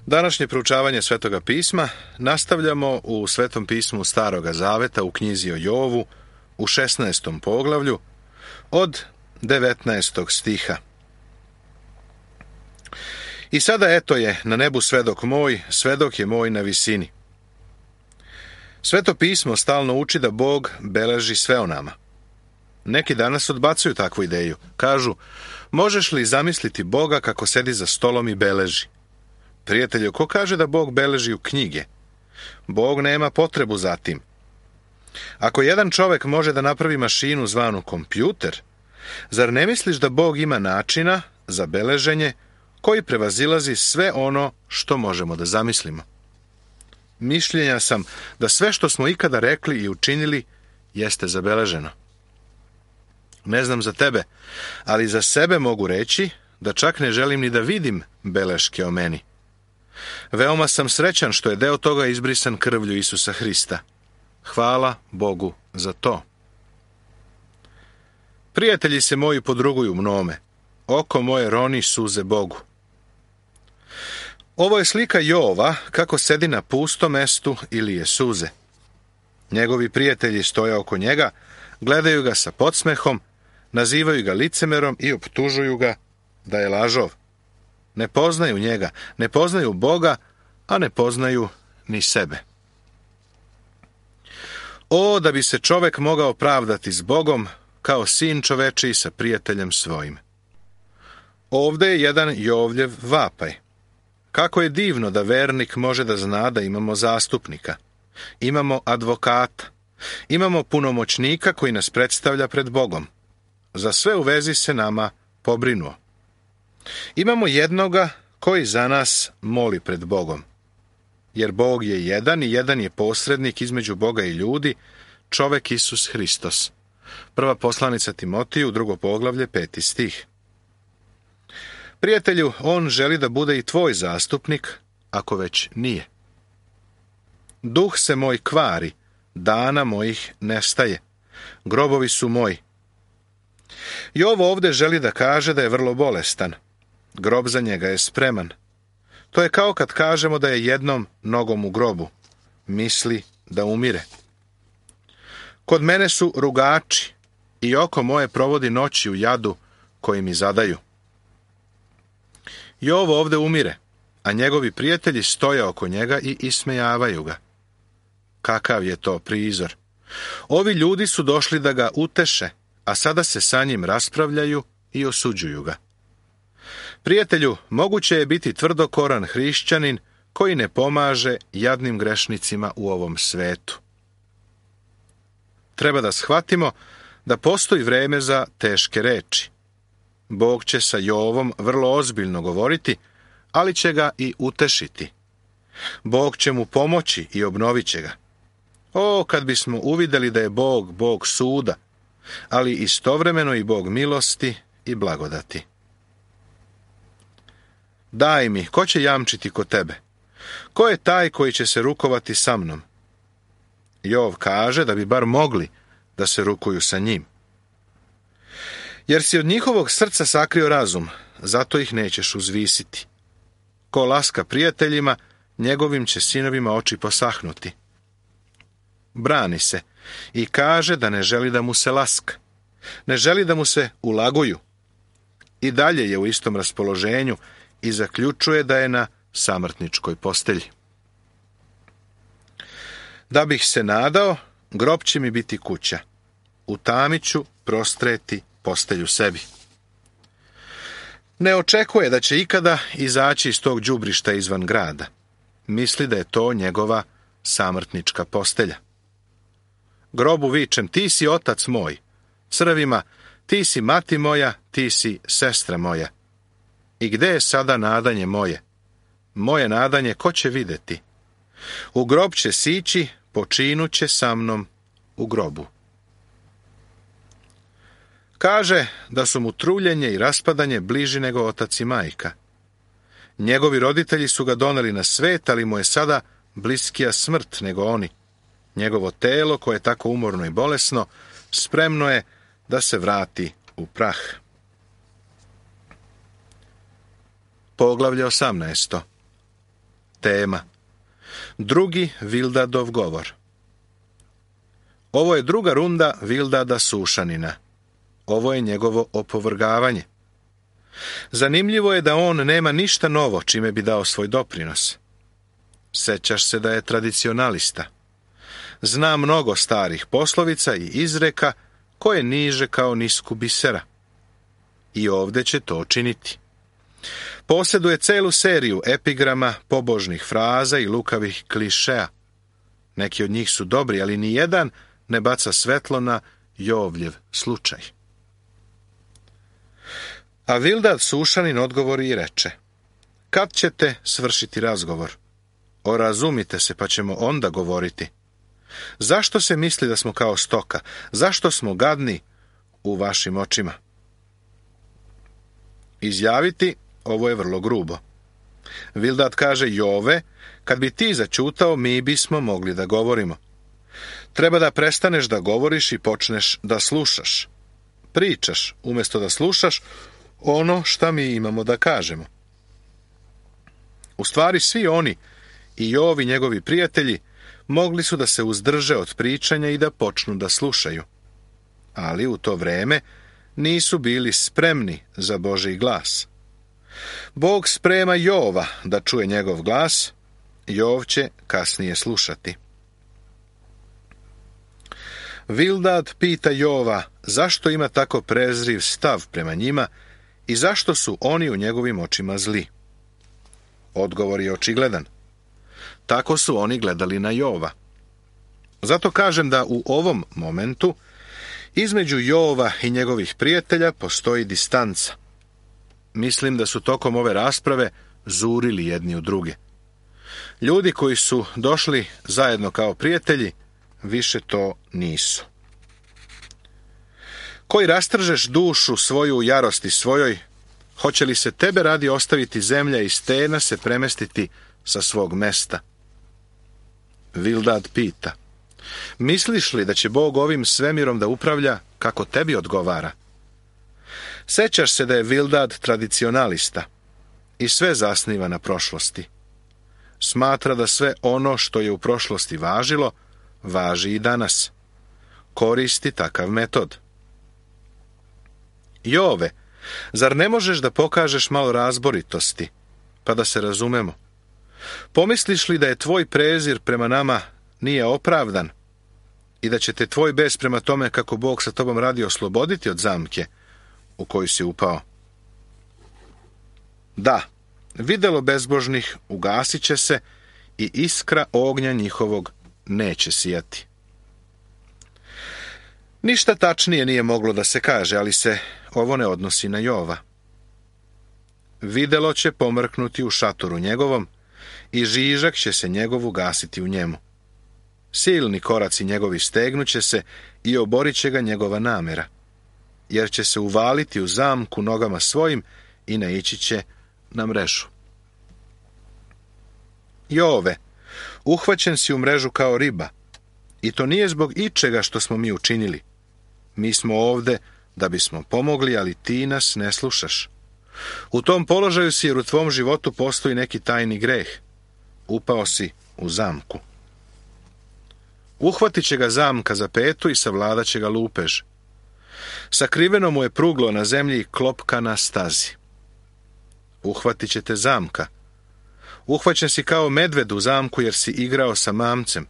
Današnje proučavanje Svetoga pisma nastavljamo u Svetom pismu Staroga Zaveta u knjizi o Jovu u 16. poglavlju od 19. stiha. I sada eto je na nebu svedok moj, svedok je moj na visini. Sveto pismo stalno uči da Bog beleži sve o nama. Neki danas odbacuju takvu ideju. Kažu, možeš li zamisliti Boga kako sedi za stolom i beleži? Prijatelju, ko kaže da Bog beleži u knjige? Bog nema potrebu za tim. Ako jedan čovek može da napravi mašinu zvanu kompjuter, zar ne misliš da Bog ima načina za beleženje koji prevazilazi sve ono što možemo da zamislimo? Mišljenja sam da sve što smo ikada rekli i učinili jeste zabeleženo. Ne znam za tebe, ali za sebe mogu reći da čak ne želim ni da vidim beleške o meni. Veoma sam srećan što je deo toga izbrisan krvlju Isusa Hrista. Hvala Bogu za to. Prijatelji se moji podruguju mnome. Oko moje roni suze Bogu. Ovo je slika Jova kako sedi na pustom mestu i lije suze. Njegovi prijatelji stoje oko njega, gledaju ga sa podsmehom, nazivaju ga licemerom i optužuju ga da je lažov. Ne poznaju njega, ne poznaju Boga, a ne poznaju ni sebe. O, da bi se čovek mogao pravdati s Bogom kao sin čovečiji sa prijateljem svojim. Ovde je jedan Jovljev vapaj. Kako je divno da vernik može da zna da imamo zastupnika. Imamo advokata. Imamo punomoćnika koji nas predstavlja pred Bogom. Za sve u vezi se nama pobrinuo. Imamo jednoga koji za nas moli pred Bogom. Jer Bog je jedan i jedan je posrednik između Boga i ljudi, čovek Isus Hristos. Prva poslanica Timotiju, 2. poglavlje, 5. stih. Prijatelju, on želi da bude i tvoj zastupnik, ako već nije. Duh se moj kvari, dana mojih nestaje. Grobovi su moji. Jov ovde želi da kaže da je vrlo bolestan. Grob za njega je spreman. To je kao kad kažemo da je jednom nogom u grobu. Misli da umire. Kod mene su rugači i oko moje provodi noći u jadu koji mi zadaju. Jov ovde umire, a njegovi prijatelji stoje oko njega i ismejavaju ga. Kakav je to prizor? Ovi ljudi su došli da ga uteše, a sada se sa njim raspravljaju i osuđuju ga. Prijatelju, moguće je biti tvrdokoran hrišćanin koji ne pomaže jadnim grešnicima u ovom svetu. Treba da shvatimo da postoji vreme za teške reči. Bog će sa Jovom vrlo ozbiljno govoriti, ali će ga i utešiti. Bog će mu pomoći i obnovit će ga. O, kad bismo uvideli da je Bog, Bog suda, ali istovremeno i Bog milosti i blagodati. Daj mi, ko će jamčiti kod tebe? Ko je taj koji će se rukovati sa mnom? Jov kaže da bi bar mogli da se rukuju sa njim. Jer si od njihovog srca sakrio razum, zato ih nećeš uzvisiti. Ko laska prijateljima, njegovim će sinovima oči posahnuti. Brani se i kaže da ne želi da mu se laska. Ne želi da mu se ulaguju. I dalje je u istom raspoloženju i zaključuje da je na samrtničkoj postelji. Da bih se nadao, grob će mi biti kuća. U tami ću prostreti postelju sebi. Ne očekuje da će ikada izaći iz tog đubrišta izvan grada. Misli da je to njegova samrtnička postelja. Grobu vičem, ti si otac moj. Crvima, ti si mati moja, ti si sestra moja. I gde je sada nadanje moje? Moje nadanje ko će videti? U grob će sići, počinuće sa mnom u grobu. Kaže da su mu truljenje i raspadanje bliži nego otac i majka. Njegovi roditelji su ga doneli na svet, ali mu je sada bliskija smrt nego oni. Njegovo telo, koje je tako umorno i bolesno, spremno je da se vrati u prah. Poglavlje 18. tema. Drugi Vildadov govor. Ovo je druga runda Vildada Sušanina. Ovo je njegovo opovrgavanje. Zanimljivo je da on nema ništa novo čime bi dao svoj doprinos. Sećaš se da je tradicionalista. Zna mnogo starih poslovica i izreka koje niže kao nisku bisera. I ovdje će to činiti. Posjeduje celu seriju epigrama, pobožnih fraza i lukavih klišeja. Neki od njih su dobri, ali ni jedan ne baca svetlo na Jovljev slučaj. A Vildad Sušanin odgovori i reče: kad ćete svršiti razgovor? Orazumite se, pa ćemo onda govoriti. Zašto se misli da smo kao stoka? Zašto smo gadni u vašim očima? Izjaviti, ovo je vrlo grubo. Vildad kaže: Jove, kad bi ti zaćutao, mi bismo mogli da govorimo. Treba da prestaneš da govoriš i počneš da slušaš. Pričaš, umjesto da slušaš ono šta mi imamo da kažemo. U stvari, svi oni, i Jov i njegovi prijatelji, mogli su da se uzdrže od pričanja i da počnu da slušaju. Ali u to vreme nisu bili spremni za Božji glas. Bog sprema Jova da čuje njegov glas, Jov će kasnije slušati. Vildad pita Jova zašto ima tako prezriv stav prema njima i zašto su oni u njegovim očima zli. Odgovor je očigledan. Tako su oni gledali na Jova. Zato kažem da u ovom momentu između Jova i njegovih prijatelja postoji distanca. Mislim da su tokom ove rasprave zurili jedni u druge. Ljudi koji su došli zajedno kao prijatelji više to nisu. Koji rastržeš dušu svoju u jarosti svojoj, hoće li se tebe radi ostaviti zemlja i stena se premestiti sa svog mesta? Vildad pita: misliš li da će Bog ovim svemirom da upravlja kako tebi odgovara? Sećaš se da je Vildad tradicionalista i sve zasniva na prošlosti. Smatra da sve ono što je u prošlosti važilo, važi i danas. Koristi takav metod. Jove, zar ne možeš da pokažeš malo razboritosti, pa da se razumemo? Pomisliš li da je tvoj prezir prema nama nije opravdan i da će te tvoj bes prema tome kako Bog sa tobom radi osloboditi od zamke u koju si upao? Da, videlo bezbožnih ugasit će se i iskra ognja njihovog neće sijati. Ništa tačnije nije moglo da se kaže, ali se ovo ne odnosi na Jova. Videlo će pomrknuti u šatoru njegovom i žižak će se njegov ugasiti u njemu. Silni koraci njegovi stegnuće se i oborit će ga njegova namera, jer će se uvaliti u zamku nogama svojim i naići će na mrežu. Jove, uhvaćen si u mrežu kao riba, i to nije zbog ičega što smo mi učinili. Mi smo ovde da bismo pomogli, ali ti nas ne slušaš. U tom položaju si jer u tvom životu postoji neki tajni greh. Upao si u zamku. Uhvatit će ga zamka za petu i savladat će ga lupež. Sakriveno mu je pruglo na zemlji i klopka na stazi. Uhvatit će te zamka. Uhvaćen si kao medved u zamku jer si igrao sa mamcem.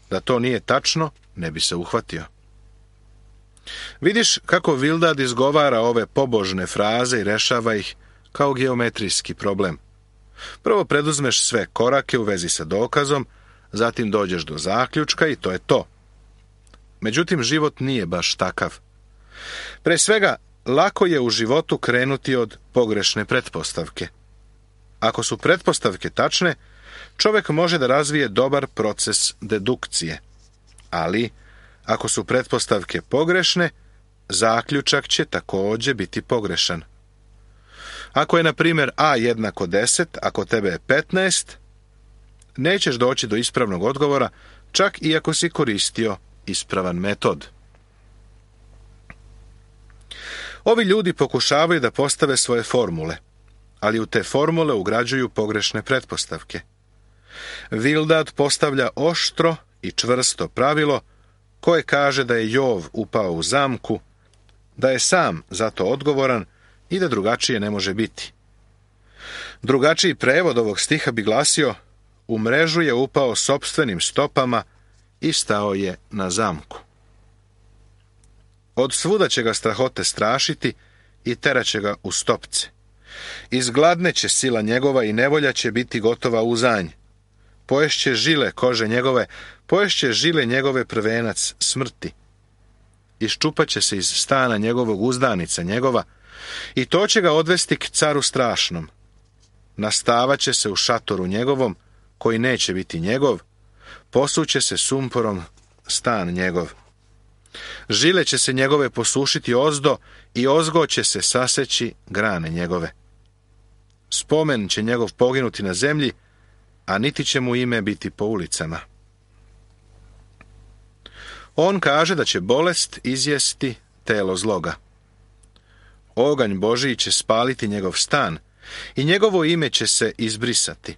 Da to nije tačno, ne bi se uhvatio. Vidiš kako Vildad izgovara ove pobožne fraze i rešava ih kao geometrijski problem. Prvo preduzmeš sve korake u vezi sa dokazom, zatim dođeš do zaključka i to je to. Međutim, život nije baš takav. Pre svega, lako je u životu krenuti od pogrešne pretpostavke. Ako su pretpostavke tačne, čovjek može da razvije dobar proces dedukcije. Ali, ako su pretpostavke pogrešne, zaključak će također biti pogrešan. Ako je, na primjer, a jednako 10, ako tebe je 15, nećeš doći do ispravnog odgovora, čak i ako si koristio ispravan metod. Ovi ljudi pokušavaju da postave svoje formule, ali u te formule ugrađuju pogrešne pretpostavke. Vildad postavlja oštro i čvrsto pravilo koje kaže da je Jov upao u zamku, da je sam za to odgovoran i da drugačije ne može biti. Drugačiji prevod ovog stiha bi glasio: u mrežu je upao sopstvenim stopama i stao je na zamku. Od svuda će ga strahote strašiti i teraće ga u stopce. Izgladneće sila njegova i nevolja će biti gotova u zanj. Poješće žile kože njegove, poješće žile njegove prvenac smrti. Iščupaće se iz stana njegovog uzdanica njegova i to će ga odvesti k caru strašnom. Nastavaće se u šatoru njegovom, koji neće biti njegov, posuće se sumporom stan njegov. Žile će se njegove posušiti ozdo i ozgo će se saseći grane njegove. Spomen će njegov poginuti na zemlji, a niti će mu ime biti po ulicama. On kaže da će bolest izjesti telo zloga. Oganj Božiji će spaliti njegov stan i njegovo ime će se izbrisati.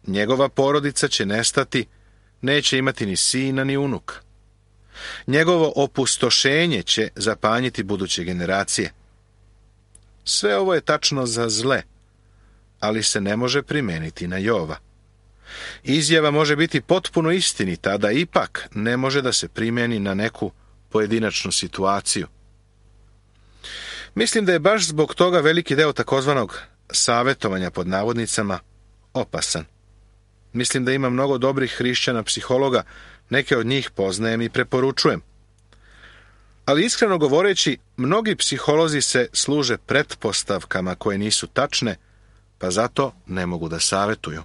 Njegova porodica će nestati, neće imati ni sina ni unuka. Njegovo opustošenje će zapanjiti buduće generacije. Sve ovo je tačno za zle, ali se ne može primijeniti na Jova. Izjava može biti potpuno istinita, da ipak ne može da se primjeni na neku pojedinačnu situaciju. Mislim da je baš zbog toga veliki deo takozvanog savjetovanja pod navodnicama opasan. Mislim da ima mnogo dobrih hrišćana psihologa, neke od njih poznajem i preporučujem. Ali iskreno govoreći, mnogi psiholozi se služe pretpostavkama koje nisu tačne, pa zato ne mogu da savjetuju.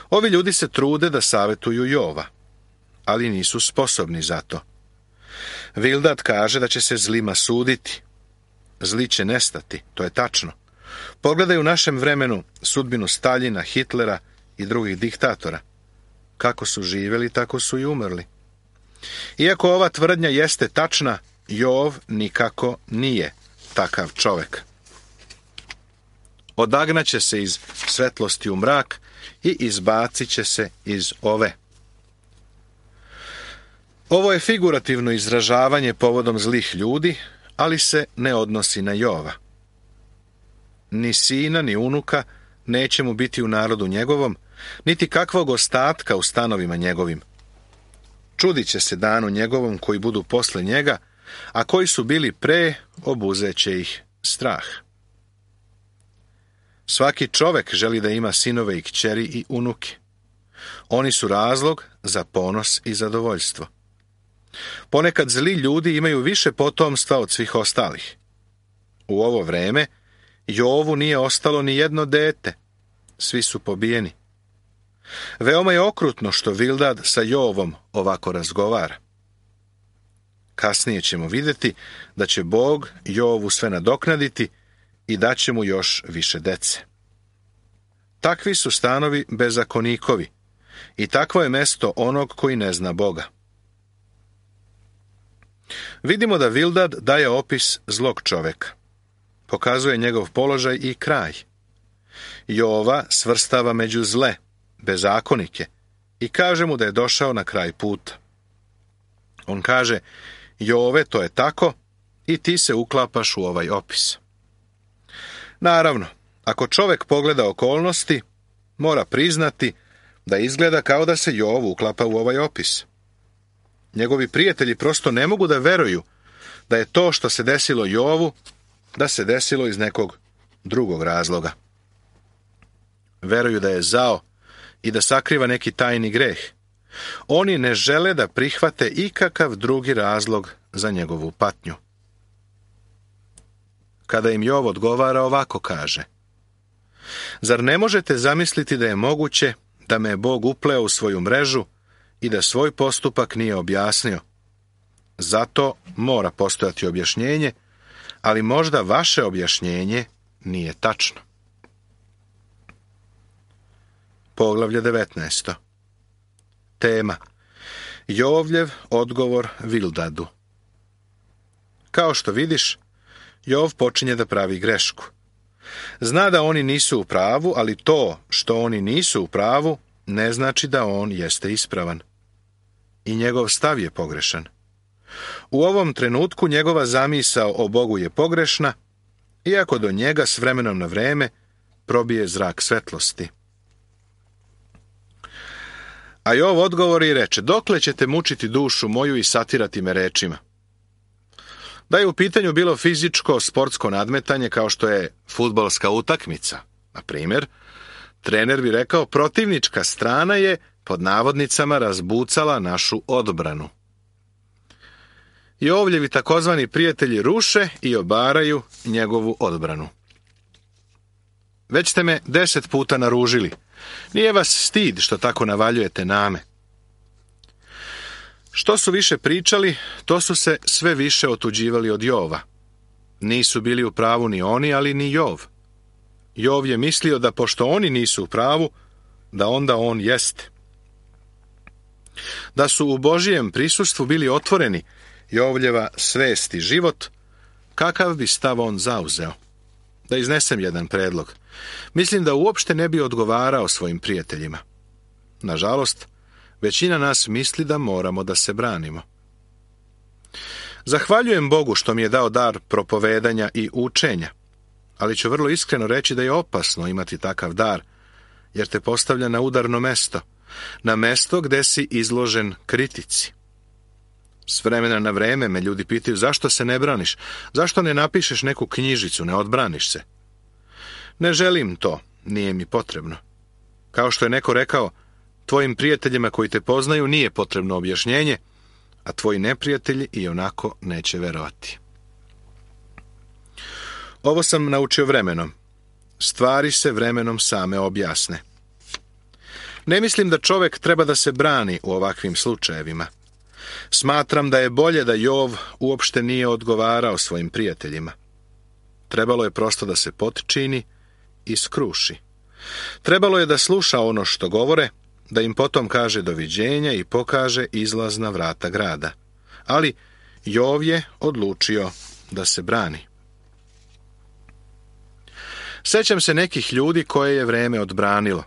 Ovi ljudi se trude da savjetuju Jova, ali nisu sposobni za to. Vildad kaže da će se zlima suditi. Zli će nestati, to je tačno. Pogledaj u našem vremenu sudbinu Staljina, Hitlera i drugih diktatora. Kako su živjeli, tako su i umrli. Iako ova tvrdnja jeste tačna, Jov nikako nije takav čovek. Odagnaće se iz svetlosti u mrak i izbacit će se iz ove. Ovo je figurativno izražavanje povodom zlih ljudi, ali se ne odnosi na Jova. Ni sina, ni unuka neće mu biti u narodu njegovom, niti kakvog ostatka u stanovima njegovim. Čudit će se danu njegovom koji budu posle njega, a koji su bili pre, obuzeće ih strah. Svaki čovek želi da ima sinove i kćeri i unuke. Oni su razlog za ponos i zadovoljstvo. Ponekad zli ljudi imaju više potomstva od svih ostalih. U ovo vreme Jovu nije ostalo ni jedno dete. Svi su pobijeni. Veoma je okrutno što Vildad sa Jovom ovako razgovara. Kasnije ćemo vidjeti da će Bog Jovu sve nadoknaditi i daće mu još više dece. Takvi su stanovi bezakonikovi i takvo je mesto onog koji ne zna Boga. Vidimo da Vildad daje opis zlog čoveka. Pokazuje njegov položaj i kraj. Jova svrstava među zle, bezakonike, i kaže mu da je došao na kraj puta. On kaže: Jove, to je tako, i ti se uklapaš u ovaj opis. Naravno, ako čovek pogleda okolnosti, mora priznati da izgleda kao da se Jov uklapa u ovaj opis. Njegovi prijatelji prosto ne mogu da veruju da je to što se desilo Jovu, da se desilo iz nekog drugog razloga. Veruju da je zao i da sakriva neki tajni greh. Oni ne žele da prihvate ikakav drugi razlog za njegovu patnju. Kada im Jov odgovara, ovako kaže: Zar ne možete zamisliti da je moguće da me je Bog upleo u svoju mrežu i da svoj postupak nije objasnio? Zato mora postojati objašnjenje, ali možda vaše objašnjenje nije tačno. Poglavlje 19. Tema: Jovljev odgovor Vildadu. Kao što vidiš, Jov počinje da pravi grešku. Zna da oni nisu u pravu, ali to što oni nisu u pravu ne znači da on jeste ispravan. I njegov stav je pogrešan. U ovom trenutku njegova zamisao o Bogu je pogrešna, iako do njega s vremenom na vreme probije zrak svetlosti. A Jov odgovori i reče: dokle ćete mučiti dušu moju i satirati me rečima? Da je u pitanju bilo fizičko, sportsko nadmetanje kao što je fudbalska utakmica, na primjer, trener bi rekao: protivnička strana je, pod navodnicama, razbucala našu odbranu. Jovljevi takozvani prijatelji ruše i obaraju njegovu odbranu. Već ste me 10 puta naružili. Nije vas stid što tako navaljujete name. Što su više pričali, to su se sve više otuđivali od Jova. Nisu bili u pravu ni oni, ali ni Jov. Jov je mislio da pošto oni nisu u pravu, da onda on jeste. Da su u Božijem prisustvu bili otvoreni Jovljeva svest i život, kakav bi stav on zauzeo? Da iznesem jedan predlog. Mislim da uopšte ne bi odgovarao svojim prijateljima. Nažalost, većina nas misli da moramo da se branimo. Zahvaljujem Bogu što mi je dao dar propovedanja i učenja, ali ću vrlo iskreno reći da je opasno imati takav dar, jer te postavlja na udarno mesto, na mesto gde si izložen kritici. S vremena na vreme me ljudi pitaju: zašto se ne braniš? Zašto ne napišeš neku knjižicu, ne odbraniš se? Ne želim to, nije mi potrebno. Kao što je neko rekao: tvojim prijateljima koji te poznaju nije potrebno objašnjenje, a tvoji neprijatelji i onako neće verovati. Ovo sam naučio vremenom. Stvari se vremenom same objasne. Ne mislim da čovjek treba da se brani u ovakvim slučajevima. Smatram da je bolje da Jov uopšte nije odgovarao svojim prijateljima. Trebalo je prosto da se potčini i skruši. Trebalo je da sluša ono što govore, da im potom kaže doviđenja i pokaže izlazna vrata grada. Ali Jov je odlučio da se brani. Sećam se nekih ljudi koje je vreme odbranilo.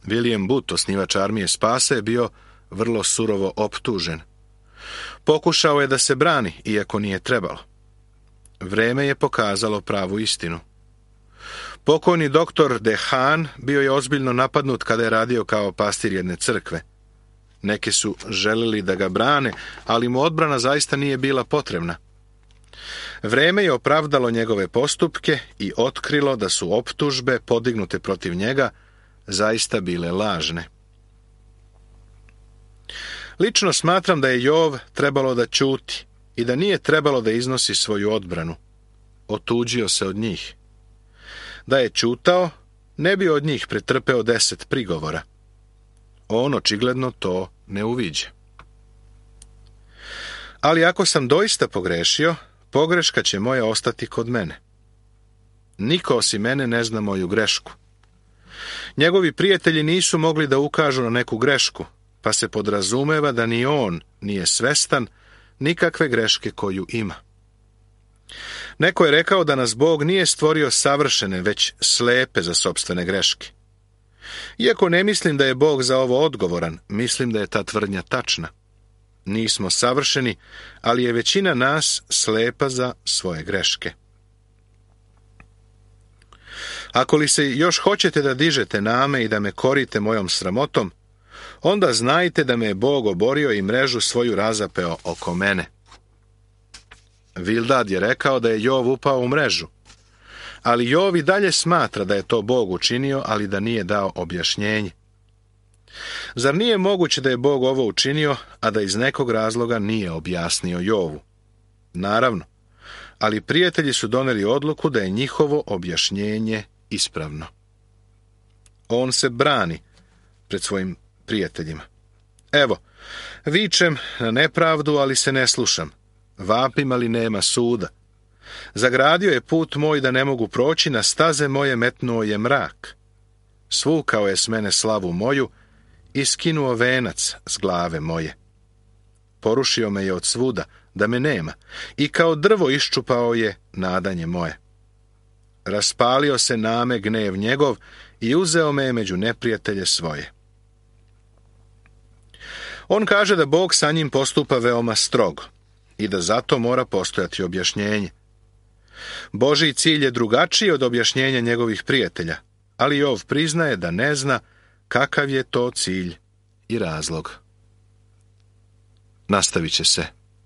William Booth, osnivač armije spasa, je bio vrlo surovo optužen. Pokušao je da se brani, iako nije trebalo. Vreme je pokazalo pravu istinu. Pokojni doktor Dehan bio je ozbiljno napadnut kada je radio kao pastir jedne crkve. Neki su želeli da ga brane, ali mu odbrana zaista nije bila potrebna. Vreme je opravdalo njegove postupke i otkrilo da su optužbe podignute protiv njega zaista bile lažne. Lično smatram da je Jov trebalo da ćuti i da nije trebalo da iznosi svoju odbranu. Otuđio se od njih. Da je ćutao, ne bi od njih pretrpeo 10 prigovora. On očigledno to ne uviđa. Ali ako sam doista pogrešio, pogreška će moja ostati kod mene. Niko osim mene ne zna moju grešku. Njegovi prijatelji nisu mogli da ukažu na neku grešku, pa se podrazumeva da ni on nije svestan nikakve greške koju ima. Neko je rekao da nas Bog nije stvorio savršene, već slepe za sopstvene greške. Iako ne mislim da je Bog za ovo odgovoran, mislim da je ta tvrdnja tačna. Nismo savršeni, ali je većina nas slepa za svoje greške. Ako li se još hoćete da dižete name i da me korite mojom sramotom, onda znajte da me je Bog oborio i mrežu svoju razapeo oko mene. Bildad je rekao da je Jov upao u mrežu, ali Jov i dalje smatra da je to Bog učinio, ali da nije dao objašnjenje. Zar nije moguće da je Bog ovo učinio, a da iz nekog razloga nije objasnio Jovu? Naravno, ali prijatelji su doneli odluku da je njihovo objašnjenje ispravno. On se brani pred svojim prijateljima. Evo, vičem na nepravdu, ali se ne slušam. Vapim, ali nema suda. Zagradio je put moj da ne mogu proći, na staze moje metnuo je mrak. Svukao je s mene slavu moju i skinuo venac s glave moje. Porušio me je od svuda, da me nema, i kao drvo iščupao je nadanje moje. Raspalio se na me gnev njegov i uzeo me među neprijatelje svoje. On kaže da Bog sa njim postupa veoma strogo i da zato mora postojati objašnjenje. Božji cilj je drugačiji od objašnjenja njegovih prijatelja, ali Jov priznaje da ne zna kakav je to cilj i razlog. Nastavit će se.